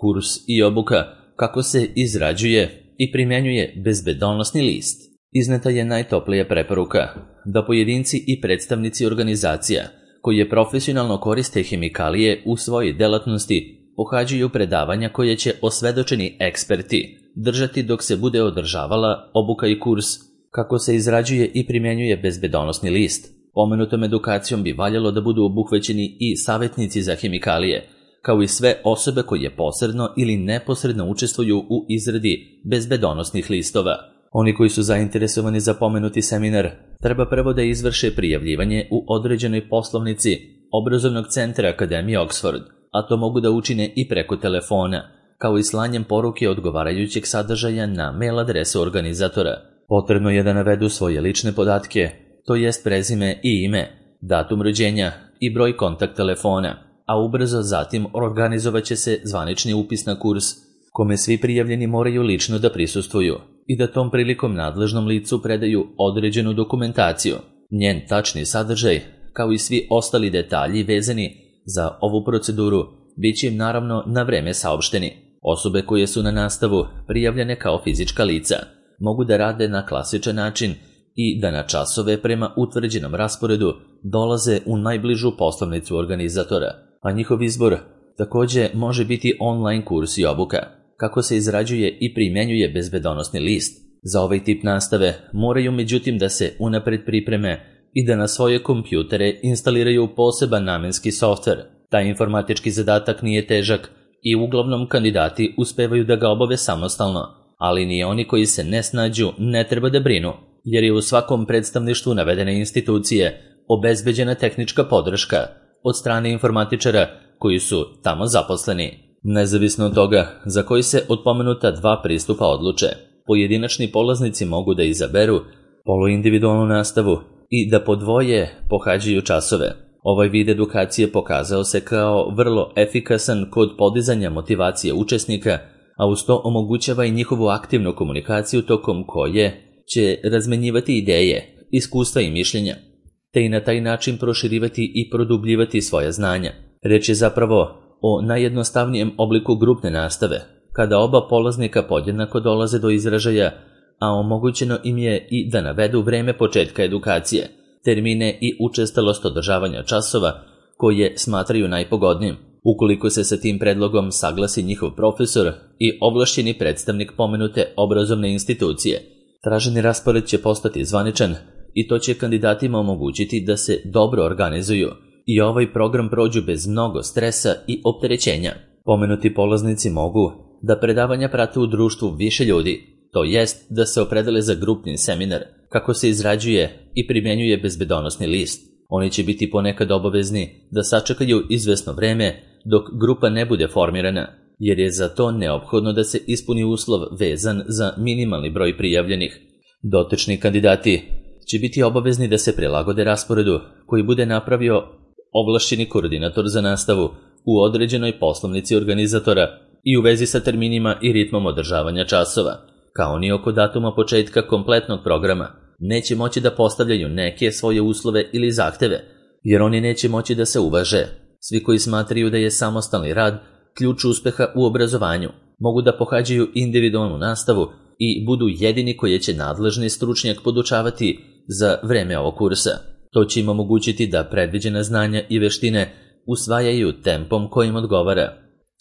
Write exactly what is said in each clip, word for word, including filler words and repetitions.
Kurs i obuka kako se izrađuje i primjenjuje bezbedonosni list. Izneta je najtoplija preporuka da pojedinci i predstavnici organizacija koji profesionalno koriste hemikalije u svojoj delatnosti pohađaju predavanja koje će osvedočeni eksperti držati dok se bude održavala obuka i kurs kako se izrađuje i primjenjuje bezbedonosni list. Pomenutom edukacijom bi valjalo da budu obuhvaćeni i savjetnici za hemikalije, kao i sve osobe koje posredno ili neposredno učestvuju u izradi bezbedonosnih listova. Oni koji su zainteresovani za pomenuti seminar treba prvo da izvrše prijavljivanje u određenoj poslovnici obrazovnog centra Akademije Oxford, a to mogu da učine i preko telefona, kao i slanjem poruke odgovarajućeg sadržaja na mail adresu organizatora. Potrebno je da navedu svoje lične podatke, to jest prezime i ime, datum rođenja i broj kontakt telefona, a ubrzo zatim organizovat će se zvanični upis na kurs, kome svi prijavljeni moraju lično da prisustvuju i da tom prilikom nadležnom licu predaju određenu dokumentaciju. Njen tačni sadržaj, kao i svi ostali detalji vezani za ovu proceduru, bit će im naravno na vreme saopšteni. Osobe koje su na nastavu prijavljene kao fizička lica mogu da rade na klasičan način i da na časove prema utvrđenom rasporedu dolaze u najbližu poslovnicu organizatora, a njihov izbor takođe može biti online kurs i obuka. Kako se izrađuje i primjenjuje bezbedonosni list. Za ovaj tip nastave moraju međutim da se unapred pripreme i da na svoje kompjutere instaliraju poseban namenski softver. Taj informatički zadatak nije težak i uglavnom kandidati uspevaju da ga obave samostalno, ali ni oni koji se ne snađu ne treba da brinu, jer je u svakom predstavništvu navedene institucije obezbeđena tehnička podrška od strane informatičara koji su tamo zaposleni. Nezavisno od toga za koji se od pomenuta dva pristupa odluče, pojedinačni polaznici mogu da izaberu poluindividualnu nastavu i da podvoje pohađaju časove. Ovaj vid edukacije pokazao se kao vrlo efikasan kod podizanja motivacije učesnika, a uz to omogućava i njihovu aktivnu komunikaciju tokom koje će razmenjivati ideje, iskustva i mišljenja, te i na taj način proširivati i produbljivati svoja znanja. Reč je zapravo o najjednostavnijem obliku grupne nastave, kada oba polaznika podjednako dolaze do izražaja, a omogućeno im je i da navedu vreme početka edukacije, termine i učestalost održavanja časova koje smatraju najpogodnijim. Ukoliko se sa tim predlogom saglasi njihov profesor i ovlašćeni predstavnik pomenute obrazovne institucije, traženi raspored će postati zvaničan i to će kandidatima omogućiti da se dobro organizuju i ovaj program prođu bez mnogo stresa i opterećenja. Pomenuti polaznici mogu da predavanja prate u društvu više ljudi, to jest da se opredele za grupni seminar, kako se izrađuje i primjenjuje bezbedonosni list. Oni će biti ponekad obavezni da sačekaju izvesno vreme dok grupa ne bude formirana, jer je za to neophodno da se ispuni uslov vezan za minimalni broj prijavljenih. Dotični kandidati će biti obavezni da se prilagode rasporedu koji bude napravio ovlašćeni koordinator za nastavu u određenoj poslovnici organizatora i u vezi sa terminima i ritmom održavanja časova, kao ni oko datuma početka kompletnog programa. Neće moći da postavljaju neke svoje uslove ili zahteve, jer oni neće moći da se uvaže. Svi koji smatraju da je samostalni rad ključ uspeha u obrazovanju mogu da pohađaju individualnu nastavu i budu jedini koji će nadležni stručnjak podučavati za vreme ovog kursa. To će im omogućiti da predviđena znanja i veštine usvajaju tempom kojim odgovara,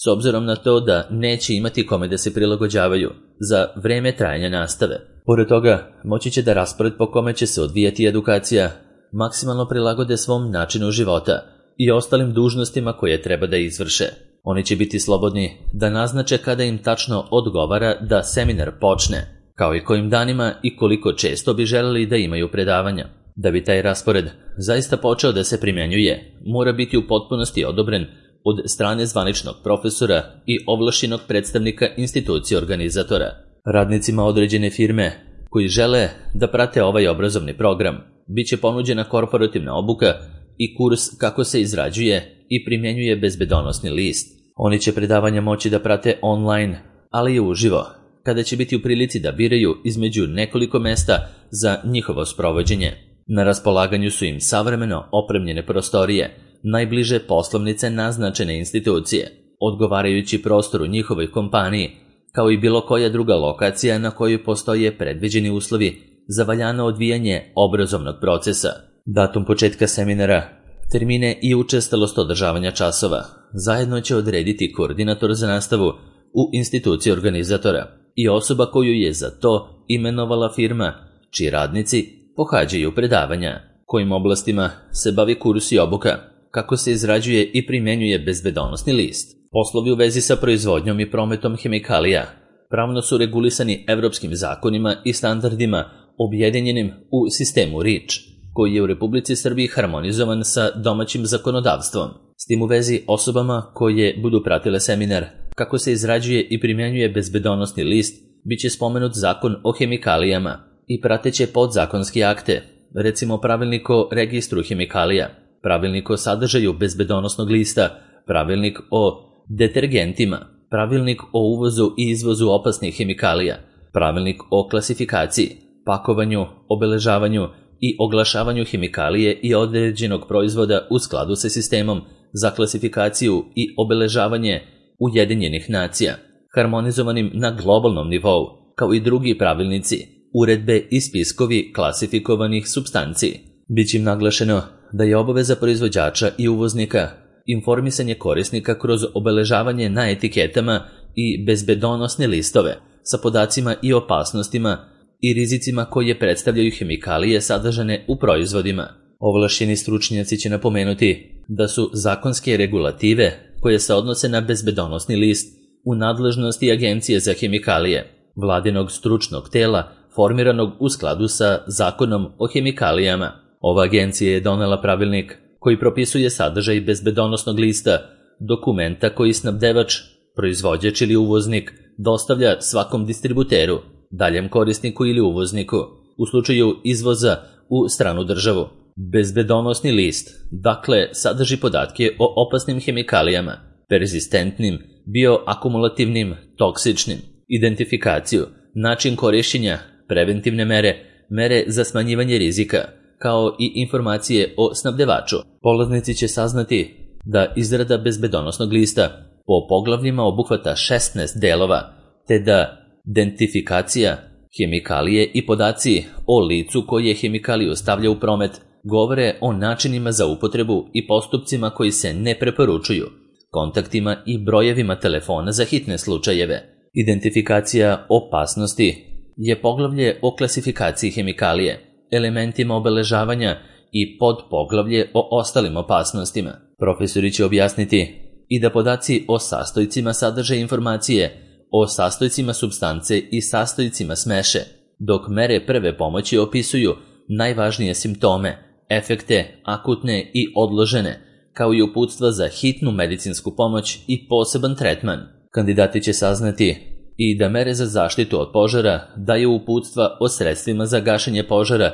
s obzirom na to da neće imati kome da se prilagođavaju za vreme trajanja nastave. Pored toga, moći će da raspored po kome će se odvijati edukacija maksimalno prilagode svom načinu života i ostalim dužnostima koje treba da izvrše. Oni će biti slobodni da naznače kada im tačno odgovara da seminar počne, kao i kojim danima i koliko često bi želeli da imaju predavanja. Da bi taj raspored zaista počeo da se primjenjuje, mora biti u potpunosti odobren od strane zvaničnog profesora i ovlašćenog predstavnika institucije organizatora. Radnicima određene firme koji žele da prate ovaj obrazovni program, bit će ponuđena korporativna obuka i kurs kako se izrađuje i primjenjuje bezbedonosni list. Oni će predavanja moći da prate online, ali i uživo, kada će biti u prilici da biraju između nekoliko mesta za njihovo sprovođenje. Na raspolaganju su im savremeno opremljene prostorije, najbliže poslovnice naznačene institucije. odgovarajući prostoru njihovoj kompaniji, kao i bilo koja druga lokacija na kojoj postoje predviđeni uslovi za valjano odvijanje obrazovnog procesa. Datum početka seminara, termine i učestalost održavanja časova zajedno će odrediti koordinator za nastavu u instituciji organizatora i osoba koju je za to imenovala firma, čiji radnici pohađaju predavanja. Kojim oblastima se bavi kurs i obuka, kako se izrađuje i primenjuje bezbedonosni list. Poslovi u vezi sa proizvodnjom i prometom hemikalija pravno su regulisani evropskim zakonima i standardima objedinjenim u sistemu REACH, koji je u Republici Srbiji harmonizovan sa domaćim zakonodavstvom. S tim u vezi osobama koje budu pratile seminar kako se izrađuje i primjenjuje bezbedonosni list biće spomenut Zakon o hemikalijama i prateće podzakonski akte, recimo Pravilnik o registru hemikalija, Pravilnik o sadržaju bezbedonosnog lista, Pravilnik o detergentima, Pravilnik o uvozu i izvozu opasnih hemikalija, Pravilnik o klasifikaciji, pakovanju, obeležavanju i oglašavanju hemikalije i određenog proizvoda u skladu sa sistemom za klasifikaciju i obeležavanje Ujedinjenih nacija, harmonizovanim na globalnom nivou, kao i drugi pravilnici, uredbe i spiskovi klasifikovanih supstanci. Biće im naglašeno da je obaveza proizvođača i uvoznika informisanje korisnika kroz obeležavanje na etiketama i bezbedonosne listove sa podacima i opasnostima i rizicima koje predstavljaju hemikalije sadržane u proizvodima. Ovlašćeni stručnjaci će napomenuti da su zakonske regulative koje se odnose na bezbedonosni list u nadležnosti Agencije za hemikalije, vladinog stručnog tela formiranog u skladu sa Zakonom o hemikalijama. Ova agencija je donela pravilnik koji propisuje sadržaj bezbedonosnog lista, dokumenta koji snabdevač, proizvođač ili uvoznik dostavlja svakom distributeru, daljem korisniku ili uvozniku, u slučaju izvoza u stranu državu. Bezbedonosni list, dakle, sadrži podatke o opasnim hemikalijama, perzistentnim, bioakumulativnim, toksičnim, identifikaciju, način korišćenja, preventivne mere, mere za smanjivanje rizika, kao i informacije o snabdevaču. Polaznici će saznati da izrada bezbedonosnog lista po poglavljima obuhvata šesnaest delova, te da identifikacija hemikalije i podaci o licu koje hemikaliju stavlja u promet govore o načinima za upotrebu i postupcima koji se ne preporučuju, kontaktima i brojevima telefona za hitne slučajeve. Identifikacija opasnosti je poglavlje o klasifikaciji hemikalije, elementima obeležavanja i podpoglavlje o ostalim opasnostima. Profesori će objasniti i da podaci o sastojcima sadrže informacije o sastojcima supstance i sastojcima smeše, dok mere prve pomoći opisuju najvažnije simptome, efekte, akutne i odložene, kao i uputstva za hitnu medicinsku pomoć i poseban tretman. Kandidati će saznati i da mere za zaštitu od požara daju uputstva o sredstvima za gašenje požara,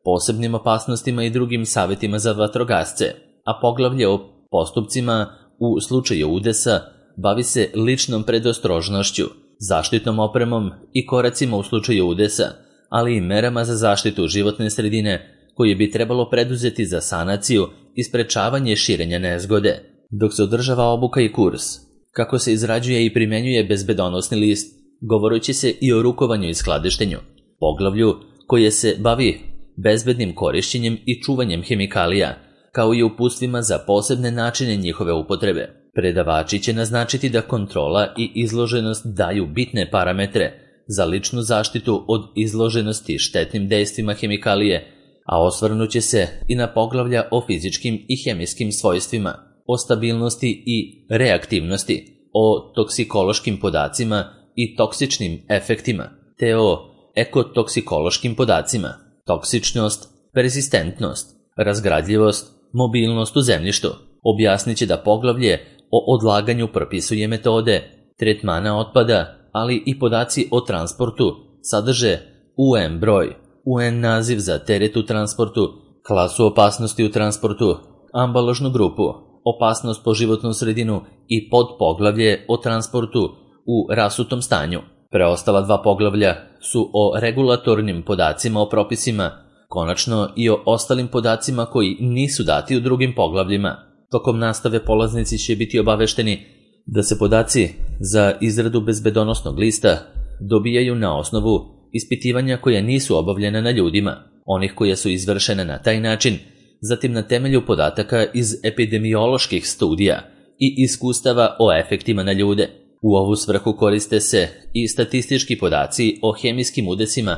posebnim opasnostima i drugim savjetima za vatrogasce, a poglavlje o postupcima u slučaju udesa bavi se ličnom predostrožnošću, zaštitnom opremom i koracima u slučaju udesa, ali i merama za zaštitu životne sredine koje bi trebalo preduzeti za sanaciju i sprečavanje širenja nezgode. Dok se održava obuka i kurs, kako se izrađuje i primenjuje bezbedonosni list, govoreći se i o rukovanju i skladištenju, poglavlju koje se bavi bezbednim korišćenjem i čuvanjem hemikalija, kao i uputstvima za posebne načine njihove upotrebe. Predavači će naznačiti da kontrola i izloženost daju bitne parametre za ličnu zaštitu od izloženosti štetnim dejstvima hemikalije, a osvrnuće se i na poglavlja o fizičkim i hemijskim svojstvima, o stabilnosti i reaktivnosti, o toksikološkim podacima i toksičnim efektima, te o ekotoksikološkim podacima, toksičnost, persistentnost, razgradljivost, mobilnost u zemljištu. Objasnit će da poglavlje o odlaganju propisuje metode tretmana otpada, ali i podaci o transportu sadrže U N broj, U N naziv za teret u transportu, klasu opasnosti u transportu, ambalažnu grupu, opasnost po životnu sredinu i podpoglavlje o transportu u rasutom stanju. Preostala dva poglavlja su o regulatornim podacima o propisima, konačno i o ostalim podacima koji nisu dati u drugim poglavljima. Tokom nastave polaznici će biti obavešteni da se podaci za izradu bezbedonosnog lista dobijaju na osnovu ispitivanja koja nisu obavljena na ljudima, onih koja su izvršena na taj način, zatim na temelju podataka iz epidemioloških studija i iskustava o efektima na ljude. U ovu svrhu koriste se i statistički podaci o hemijskim udesima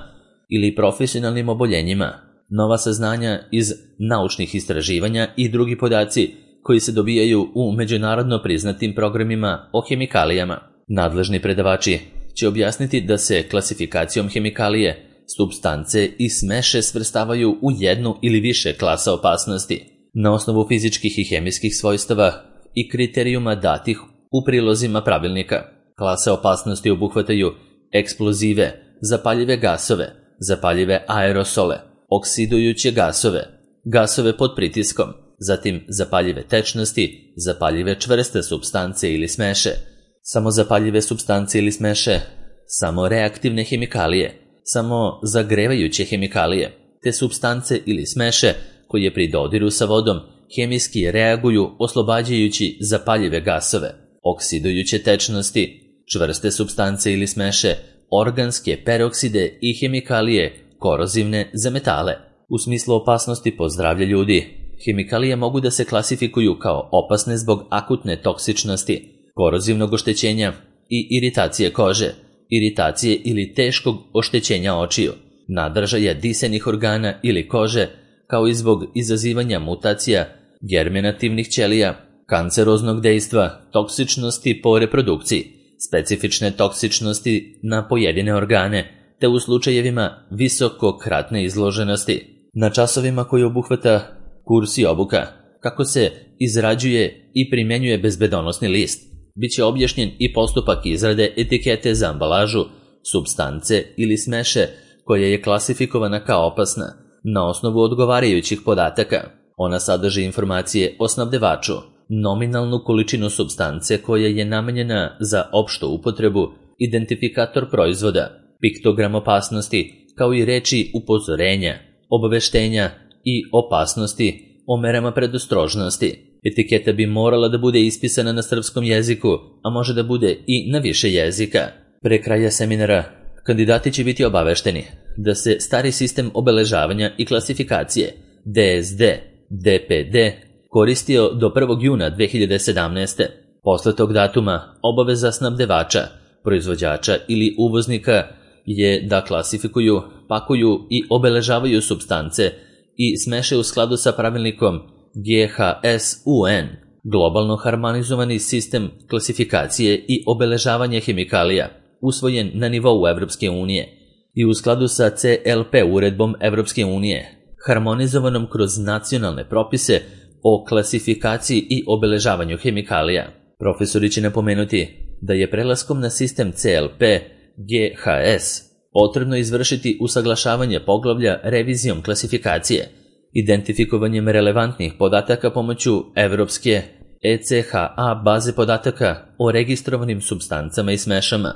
ili profesionalnim oboljenjima, nova saznanja iz naučnih istraživanja i drugi podaci koji se dobijaju u međunarodno priznatim programima o hemikalijama. Nadležni predavači će objasniti da se klasifikacijom hemikalije, supstance i smeše svrstavaju u jednu ili više klasa opasnosti na osnovu fizičkih i hemijskih svojstava i kriterijuma datih u prilozima pravilnika. Klase opasnosti obuhvataju eksplozive, zapaljive gasove, zapaljive aerosole, oksidujuće gasove, gasove pod pritiskom, zatim zapaljive tečnosti, zapaljive čvrste supstance ili smeše, samozapaljive supstance ili smeše, samo reaktivne hemikalije, samo zagrevajuće hemikalije, te supstance ili smeše koje pri dodiru sa vodom hemijski reaguju oslobađajući zapaljive gasove, oksidujuće tečnosti, čvrste supstance ili smeše, organske perokside i hemikalije korozivne za metale. U smislu opasnosti po zdravlje ljudi, hemikalije mogu da se klasifikuju kao opasne zbog akutne toksičnosti, korozivnog oštećenja i iritacije kože, iritacije ili teškog oštećenja očiju, nadržaja disenih organa ili kože, kao i zbog izazivanja mutacija germinativnih ćelija, kanceroznog dejstva, toksičnosti po reprodukciji, specifične toksičnosti na pojedine organe, te u slučajevima visokokratne izloženosti. Na časovima koji obuhvata kurs i obuka, kako se izrađuje i primenjuje bezbedonosni list, bit će objašnjen i postupak izrade etikete za ambalažu, supstance ili smeše koja je klasifikovana kao opasna na osnovu odgovarajućih podataka. Ona sadrži informacije o snabdevaču, nominalnu količinu supstance koja je namenjena za opštu upotrebu, identifikator proizvoda, piktogram opasnosti, kao i reči upozorenja, obaveštenja i opasnosti o merama predostrožnosti. Etiketa bi morala da bude ispisana na srpskom jeziku, a može da bude i na više jezika. Pre kraja seminara, kandidati će biti obavešteni da se stari sistem obeležavanja i klasifikacije D S D, D P D koristio do prvog juna dve hiljade sedamnaeste. Posle tog datuma obaveza snabdevača, proizvođača ili uvoznika je da klasifikuju, pakuju i obeležavaju supstance i smeše u skladu sa pravilnikom G H S U N, globalno harmonizovani sistem klasifikacije i obeležavanja hemikalija, usvojen na nivou Evropske unije, i u skladu sa C L P uredbom Evropske unije, harmonizovanom kroz nacionalne propise o klasifikaciji i obeležavanju hemikalija. Profesori će napomenuti da je prelaskom na sistem C L P G H S potrebno izvršiti usaglašavanje poglavlja revizijom klasifikacije, identifikovanjem relevantnih podataka pomoću Evropske E C H A baze podataka o registrovanim supstancama i smešama,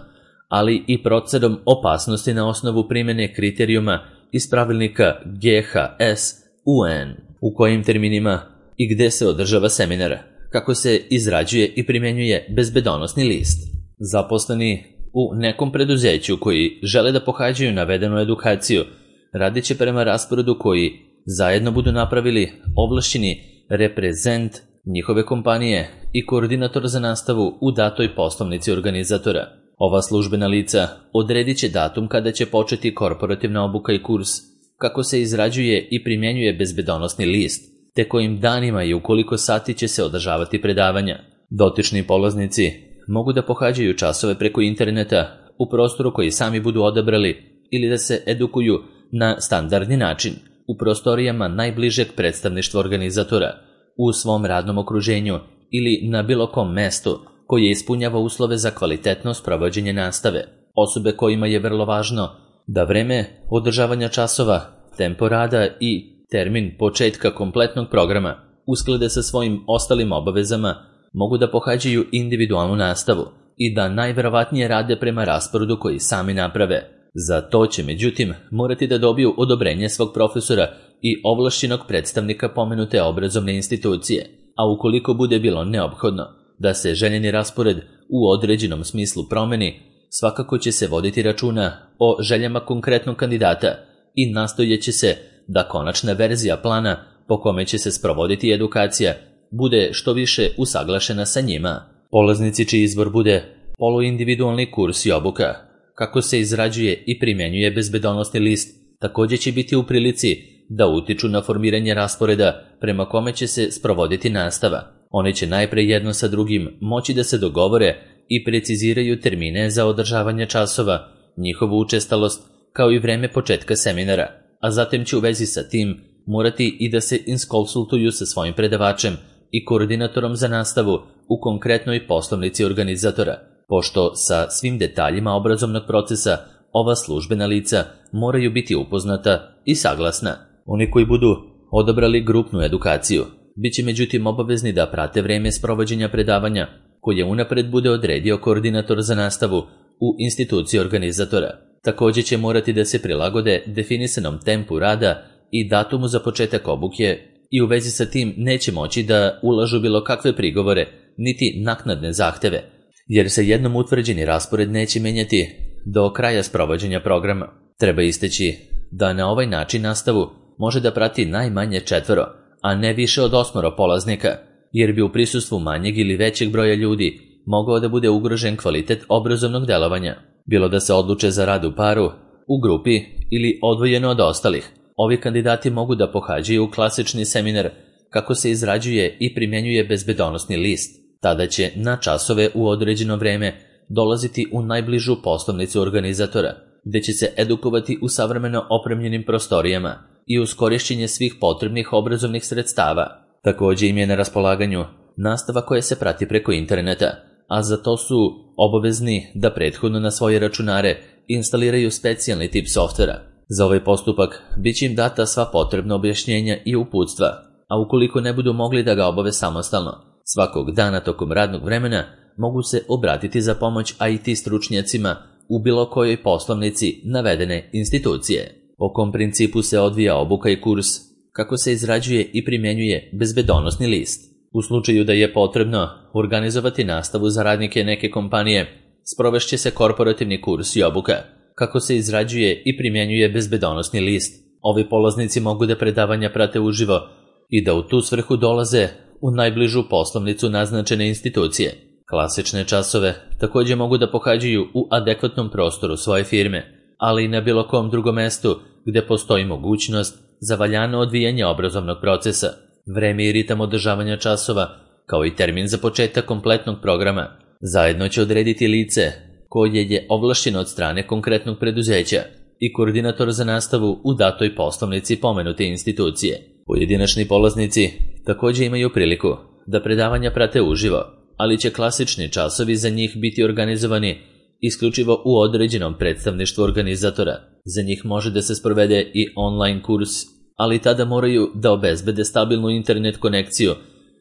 ali i procenom opasnosti na osnovu primjene kriterijuma iz pravilnika G H S U N, u kojim terminima i gde se održava seminar, kako se izrađuje i primjenjuje bezbedonosni list. Zaposleni u nekom preduzeću koji žele da pohađaju navedenu edukaciju radit će prema rasporedu koji zajedno budu napravili ovlašćeni reprezent njihove kompanije i koordinator za nastavu u datoj poslovnici organizatora. Ova službena lica odredit će datum kada će početi korporativna obuka i kurs, kako se izrađuje i primjenjuje bezbedonosni list, te kojim danima i u koliko sati će se održavati predavanja. Dotični polaznici mogu da pohađaju časove preko interneta u prostoru koji sami budu odabrali ili da se edukuju na standardni način u prostorijama najbližeg predstavništva organizatora, u svom radnom okruženju ili na bilo kom mestu koje ispunjava uslove za kvalitetno sprovođenje nastave. Osobe kojima je vrlo važno da vreme održavanja časova, tempo rada i termin početka kompletnog programa usklade sa svojim ostalim obavezama, mogu da pohađaju individualnu nastavu i da najverovatnije rade prema rasporedu koji sami naprave. Za to će, međutim, morati da dobiju odobrenje svog profesora i ovlašćenog predstavnika pomenute obrazovne institucije, a ukoliko bude bilo neophodno, da se željeni raspored u određenom smislu promeni, svakako će se voditi računa o željama konkretnog kandidata i nastojeće se da konačna verzija plana po kome će se sprovoditi edukacija bude što više usaglašena sa njima. Polaznici čiji izbor bude poluindividualni kurs i obuka, kako se izrađuje i primjenjuje bezbedonosni list, također će biti u prilici da utiču na formiranje rasporeda prema kome će se sprovoditi nastava. Oni će najpre jedno sa drugim moći da se dogovore i preciziraju termine za održavanje časova, njihovu učestalost, kao i vreme početka seminara, a zatim će u vezi sa tim morati i da se iskonsultuju sa svojim predavačem i koordinatorom za nastavu u konkretnoj poslovnici organizatora, pošto sa svim detaljima obrazovnog procesa ova službena lica moraju biti upoznata i saglasna. Oni koji budu odabrali grupnu edukaciju bit će međutim obavezni da prate vreme sprovođenja predavanja koje unapred bude odredio koordinator za nastavu u instituciji organizatora. Također će morati da se prilagode definisanom tempu rada i datumu za početak obuke i u vezi sa tim neće moći da ulažu bilo kakve prigovore niti naknadne zahteve, jer se jednom utvrđeni raspored neće menjati do kraja sprovođenja programa. Treba istaći da na ovaj način nastavu može da prati najmanje četvoro, a ne više od osmoro polaznika, jer bi u prisustvu manjeg ili većeg broja ljudi mogao da bude ugrožen kvalitet obrazovnog delovanja. Bilo da se odluče za rad u paru, u grupi ili odvojeno od ostalih, ovi kandidati mogu da pohađaju klasični seminar kako se izrađuje i primjenjuje bezbedonosni list. Tada će na časove u određeno vreme dolaziti u najbližu poslovnicu organizatora, gde će se edukovati u savremeno opremljenim prostorijama i uz korišćenje svih potrebnih obrazovnih sredstava. Također im je na raspolaganju nastava koja se prati preko interneta, a za to su obavezni da prethodno na svoje računare instaliraju specijalni tip softvera. Za ovaj postupak bit će im data sva potrebna objašnjenja i uputstva, a ukoliko ne budu mogli da ga obave samostalno, svakog dana tokom radnog vremena mogu se obratiti za pomoć I T stručnjacima u bilo kojoj poslovnici navedene institucije. Po kom principu se odvija obuka i kurs, kako se izrađuje i primjenjuje bezbedonosni list. U slučaju da je potrebno organizovati nastavu za radnike neke kompanije, sprovešće se korporativni kurs i obuka, kako se izrađuje i primjenjuje bezbedonosni list. Ovi polaznici mogu da predavanja prate uživo i da u tu svrhu dolaze u najbližu poslovnicu naznačene institucije. Klasične časove također mogu da pohađaju u adekvatnom prostoru svoje firme, ali i na bilo kom drugom mestu gde postoji mogućnost za valjano odvijanje obrazovnog procesa. Vreme i ritam održavanja časova, kao i termin za početak kompletnog programa, zajedno će odrediti lice koje je ovlašćeno od strane konkretnog preduzeća i koordinator za nastavu u datoj poslovnici pomenute institucije. Pojedinačni polaznici također imaju priliku da predavanja prate uživo, ali će klasični časovi za njih biti organizovani isključivo u određenom predstavništvu organizatora. Za njih može da se sprovede i online kurs, ali tada moraju da obezbede stabilnu internet konekciju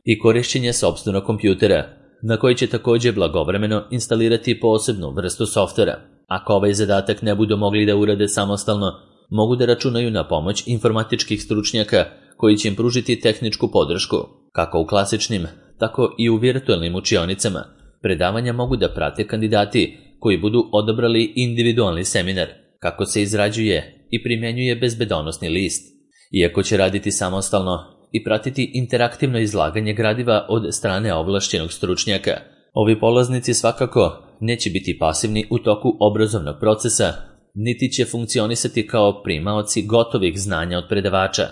i korišćenje sopstvenog kompjutera, na koji će također blagovremeno instalirati posebnu vrstu softvera. Ako ovaj zadatak ne budu mogli da urade samostalno, mogu da računaju na pomoć informatičkih stručnjaka koji će im pružiti tehničku podršku. Kako u klasičnim, tako i u virtualnim učionicama, predavanja mogu da prate kandidati koji budu odabrali individualni seminar, kako se izrađuje i primjenjuje bezbedonosni list. Iako će raditi samostalno i pratiti interaktivno izlaganje gradiva od strane ovlašćenog stručnjaka, ovi polaznici svakako neće biti pasivni u toku obrazovnog procesa, niti će funkcionisati kao primaoci gotovih znanja od predavača.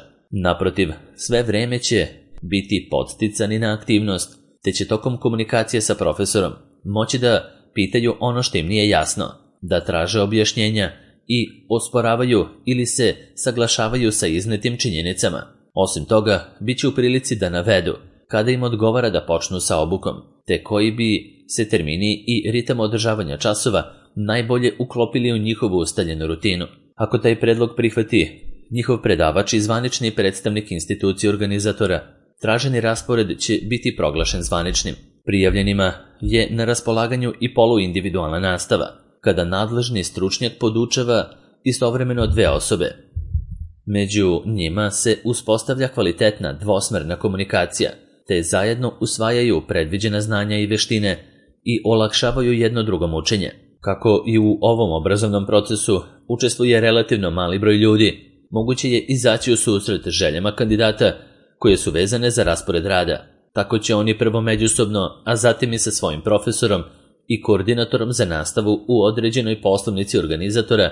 Naprotiv, sve vreme će biti podsticani na aktivnost, te će tokom komunikacije sa profesorom moći da pitaju ono što im nije jasno, da traže objašnjenja i osporavaju ili se saglašavaju sa iznetim činjenicama. Osim toga, bit će u prilici da navedu kada im odgovara da počnu sa obukom, te koji bi se termini i ritam održavanja časova najbolje uklopili u njihovu ustaljenu rutinu. Ako taj predlog prihvati njihov predavač i zvanični predstavnik institucije organizatora, traženi raspored će biti proglašen zvaničnim. Prijavljenima je na raspolaganju i poluindividualna nastava, kada nadležni stručnjak podučava istovremeno dve osobe. Među njima se uspostavlja kvalitetna dvosmerna komunikacija, te zajedno usvajaju predviđena znanja i veštine i olakšavaju jedno drugom učenje. Kako i u ovom obrazovnom procesu učestvuje relativno mali broj ljudi, moguće je izaći u susret željama kandidata koje su vezane za raspored rada. Tako će oni prvo međusobno, a zatim i sa svojim profesorom i koordinatorom za nastavu u određenoj poslovnici organizatora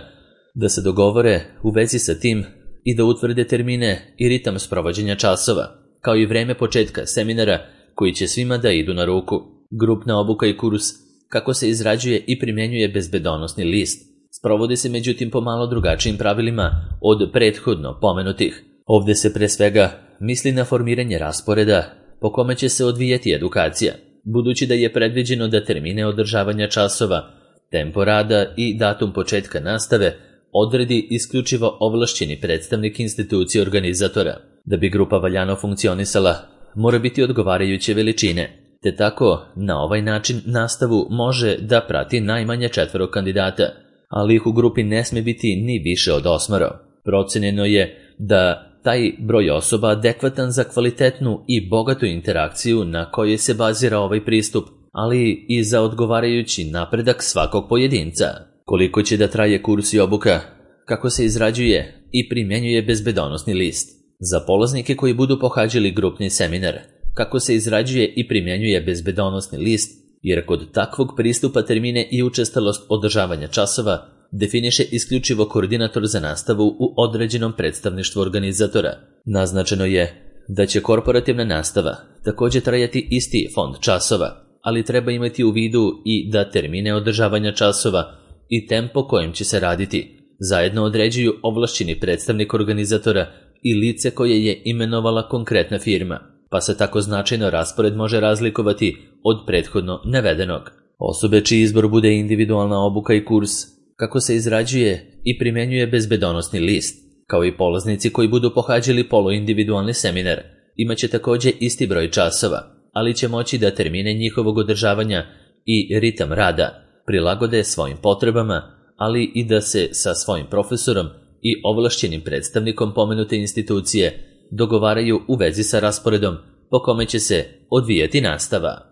da se dogovore u vezi sa tim i da utvrde termine i ritam sprovođenja časova, kao i vreme početka seminara koji će svima da idu na ruku. Grupna obuka i kurs kako se izrađuje i primjenjuje bezbedonosni list sprovodi se međutim po malo drugačijim pravilima od prethodno pomenutih. Ovde se pre svega misli na formiranje rasporeda po kome će se odvijeti edukacija, budući da je predviđeno da termine održavanja časova, tempo rada i datum početka nastave odredi isključivo ovlašćeni predstavnik institucije organizatora. Da bi grupa valjano funkcionisala, mora biti odgovarajuće veličine, te tako na ovaj način nastavu može da prati najmanje četvoro kandidata, ali ih u grupi ne sme biti ni više od osmoro. Procenjeno je da taj broj osoba adekvatan za kvalitetnu i bogatu interakciju na kojoj se bazira ovaj pristup, ali i za odgovarajući napredak svakog pojedinca. Koliko će da traje kurs i obuka, kako se izrađuje i primjenjuje bezbedonosni list. Za polaznike koji budu pohađali grupni seminar, kako se izrađuje i primjenjuje bezbedonosni list, jer kod takvog pristupa termine i učestalost održavanja časova definiše isključivo koordinator za nastavu u određenom predstavništvu organizatora. Naznačeno je da će korporativna nastava također trajati isti fond časova, ali treba imati u vidu i da termine održavanja časova i tempo kojim će se raditi zajedno određuju ovlašćeni predstavnik organizatora i lice koje je imenovala konkretna firma, pa se tako značajno raspored može razlikovati od prethodno navedenog. Osobe čiji izbor bude individualna obuka i kurs, kako se izrađuje i primjenjuje bezbedonosni list, kao i polaznici koji budu pohađali poluindividualni seminar, imaće također isti broj časova, ali će moći da termine njihovog održavanja i ritam rada prilagode svojim potrebama, ali i da se sa svojim profesorom i ovlašćenim predstavnikom pomenute institucije dogovaraju u vezi sa rasporedom po kome će se odvijati nastava.